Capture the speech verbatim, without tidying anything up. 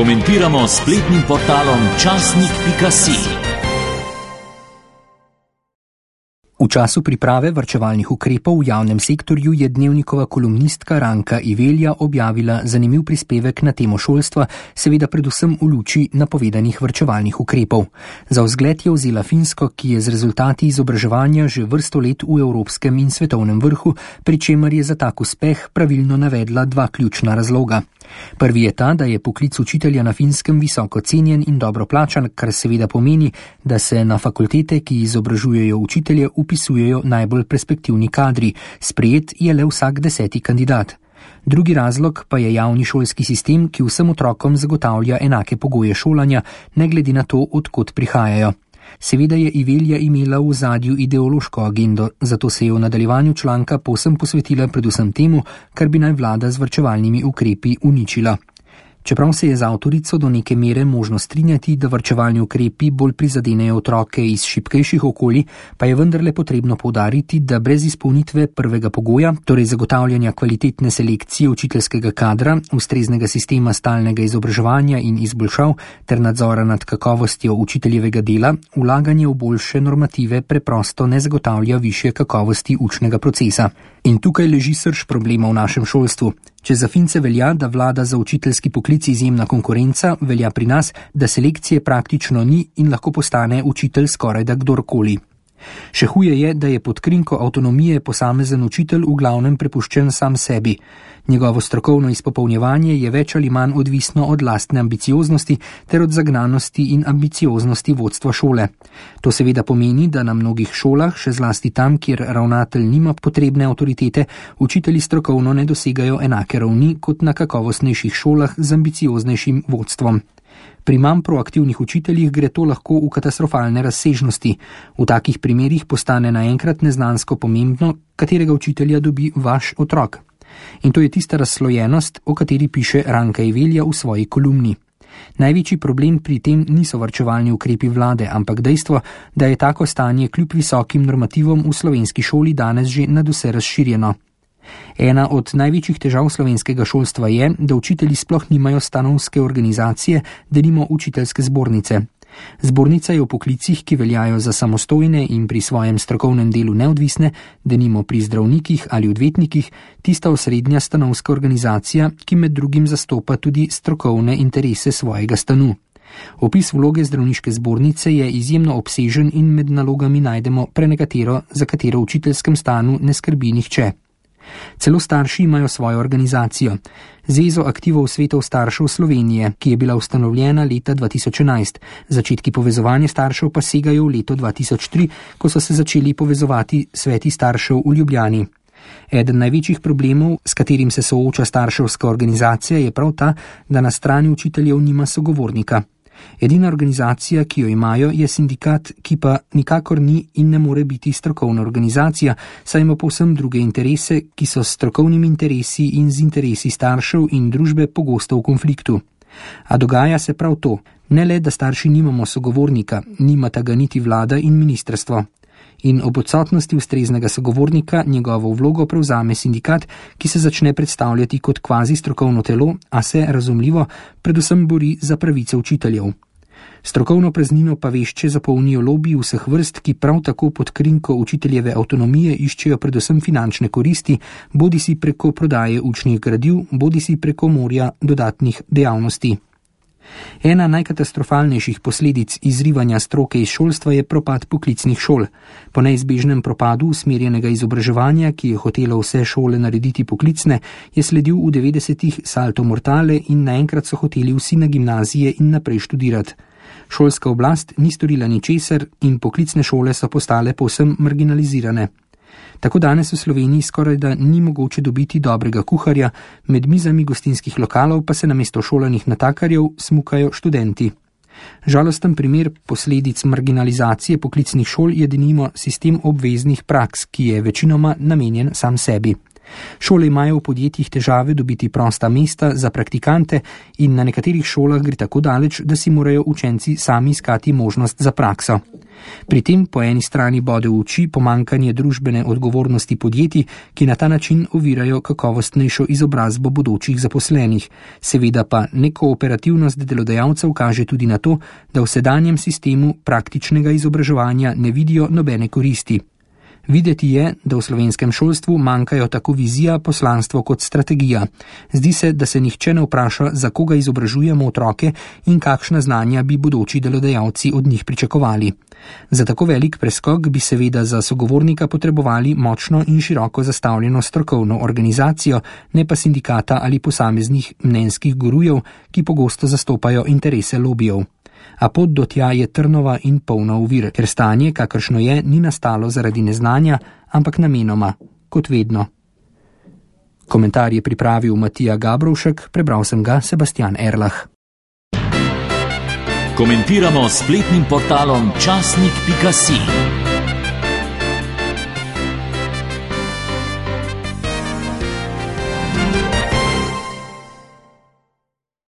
Komentiramo s spletnim portalom časnik pika si. V času priprave varčevalnih ukrepov v javnem sektorju je Dnevnikova kolumnistka Ranka Ivelja objavila zanimiv prispevek na temo šolstva, seveda predvsem v luči napovedanih varčevalnih ukrepov. Za vzgled je vzela Finsko, ki je z rezultati izobraževanja že vrsto let v evropskem in svetovnem vrhu, pri čemer je za tak uspeh pravilno navedla dva ključna razloga. Prvi je ta, da je poklic učitelja na Finskem visoko cenjen in dobro plačan, kar seveda pomeni, da se na fakultete, ki izobražujejo učitelje, upisujejo najbolj perspektivni kadri, sprejet je le vsak deseti kandidat. Drugi razlog pa je javni šolski sistem, ki vsem otrokom zagotavlja enake pogoje šolanja, ne glede na to, od kod prihajajo. Seveda je Ivelja imela v ozadju ideološko agendo, zato se je v nadaljevanju članka povsem posvetila predvsem temu, kar bi naj vlada z varčevalnimi ukrepi uničila. Čeprav se je z avtorico do neke mere možno strinjati, da varčevalni ukrepi bolj prizadenejo otroke iz šibkejših okolij, pa je vendarle potrebno poudariti, da brez izpolnitve prvega pogoja, torej zagotavljanja kvalitetne selekcije učiteljskega kadra, ustreznega sistema stalnega izobraževanja in izboljšav ter nadzora nad kakovostjo učiteljevega dela, vlaganje v boljše normative preprosto ne zagotavlja višje kakovosti učnega procesa. In tukaj leži srž problema v našem šolstvu. Če za Fince velja, da vlada za učiteljski poklic izjemna konkurenca, velja pri nas, da selekcije praktično ni in lahko postane učitelj skorajda kdorkoli. Še huje je, da je pod krinko avtonomije posamezen učitelj v glavnem prepuščen sam sebi. Njegovo strokovno izpopolnjevanje je več ali manj odvisno od lastne ambicioznosti ter od zagnanosti in ambicioznosti vodstva šole. To seveda pomeni, da na mnogih šolah, še zlasti tam, kjer ravnatelj nima potrebne avtoritete, učitelji strokovno ne dosegajo enake ravni kot na kakovostnejših šolah z ambicioznejšim vodstvom. Pri manj proaktivnih učiteljih gre to lahko v katastrofalne razsežnosti. V takih primerih postane naenkrat neznansko pomembno, katerega učitelja dobi vaš otrok. In to je tista razslojenost, o kateri piše Ranka Ivelja v svoji kolumni. Največji problem pri tem niso varčevalni ukrepi vlade, ampak dejstvo, da je tako stanje kljub visokim normativom v slovenski šoli danes že nadvse razširjeno. Ena od največjih težav slovenskega šolstva je, da učitelji sploh nimajo stanovske organizacije, denimo učiteljske zbornice. Zbornica je v poklicih, ki veljajo za samostojne in pri svojem strokovnem delu neodvisne, denimo pri zdravnikih ali odvetnikih, tista osrednja stanovska organizacija, ki med drugim zastopa tudi strokovne interese svojega stanu. Opis vloge zdravniške zbornice je izjemno obsežen in med nalogami najdemo prenekatero, za katero v učiteljskem stanu ne skrbi nihče. Celo starši imajo svojo organizacijo, Zvezo aktivov svetov staršev Slovenije, ki je bila ustanovljena leta dva tisoč enajst. Začetki povezovanja staršev pa segajo v leto dva tisoč tri, ko so se začeli povezovati sveti staršev v Ljubljani. Eden največjih problemov, s katerim se sooča starševska organizacija, je prav ta, da na strani učiteljev nima sogovornika. Edina organizacija, ki jo imajo, je sindikat, ki pa nikakor ni in ne more biti strokovna organizacija, saj ima povsem druge interese, ki so s strokovnimi interesi in z interesi staršev in družbe pogosto v konfliktu. A dogaja se prav to, ne le, da starši nimamo sogovornika, nimata ga niti vlada in ministrstvo. In ob odsotnosti ustreznega sogovornika njegovo vlogo prevzame sindikat, ki se začne predstavljati kot kvazi strokovno telo, a se, razumljivo, predvsem bori za pravice učiteljev. Strokovno praznino pa vešče zapolnijo lobiji vseh vrst, ki prav tako pod krinko učiteljeve avtonomije iščejo predvsem finančne koristi, bodisi preko prodaje učnih gradiv, bodisi preko morja dodatnih dejavnosti. Ena najkatastrofalnejših posledic izrivanja stroke iz šolstva je propad poklicnih šol. Po neizbežnem propadu usmerjenega izobraževanja, ki je hotelo vse šole narediti poklicne, je sledil v devetdesetih salto mortale in naenkrat so hoteli vsi na gimnazije in naprej študirati. Šolska oblast ni storila ničesar in poklicne šole so postale povsem marginalizirane. Tako danes v Sloveniji skorajda ni mogoče dobiti dobrega kuharja, med mizami gostinskih lokalov pa se namesto šolanih natakarjev smukajo študenti. Žalosten primer posledic marginalizacije poklicnih šol je denimo sistem obveznih praks, ki je večinoma namenjen sam sebi. Šole imajo v podjetjih težave dobiti prosta mesta za praktikante in na nekaterih šolah gre tako daleč, da si morajo učenci sami iskati možnost za prakso. Pri tem po eni strani bode v oči pomanjkanje družbene odgovornosti podjetij, ki na ta način ovirajo kakovostnejšo izobrazbo bodočih zaposlenih. Seveda pa nekooperativnost delodajalcev kaže tudi na to, da v sedanjem sistemu praktičnega izobraževanja ne vidijo nobene koristi. Videti je, da v slovenskem šolstvu manjkajo tako vizija, poslanstvo kot strategija. Zdi se, da se nihče ne vpraša, za koga izobražujemo otroke in kakšna znanja bi bodoči delodajalci od njih pričakovali. Za tako velik preskok bi seveda za sogovornika potrebovali močno in široko zastavljeno strokovno organizacijo, ne pa sindikata ali posameznih mnenjskih gurujev, ki pogosto zastopajo interese lobijev. A pot do tja je trnova in polna ovir, ker stanje, kakršno je, ni nastalo zaradi neznanja, ampak namenoma, kot vedno. Komentar je pripravil Matija Gabrovšek, prebral sem ga Sebastian Erlah. Komentiramo s spletnim portalom časnik pika si.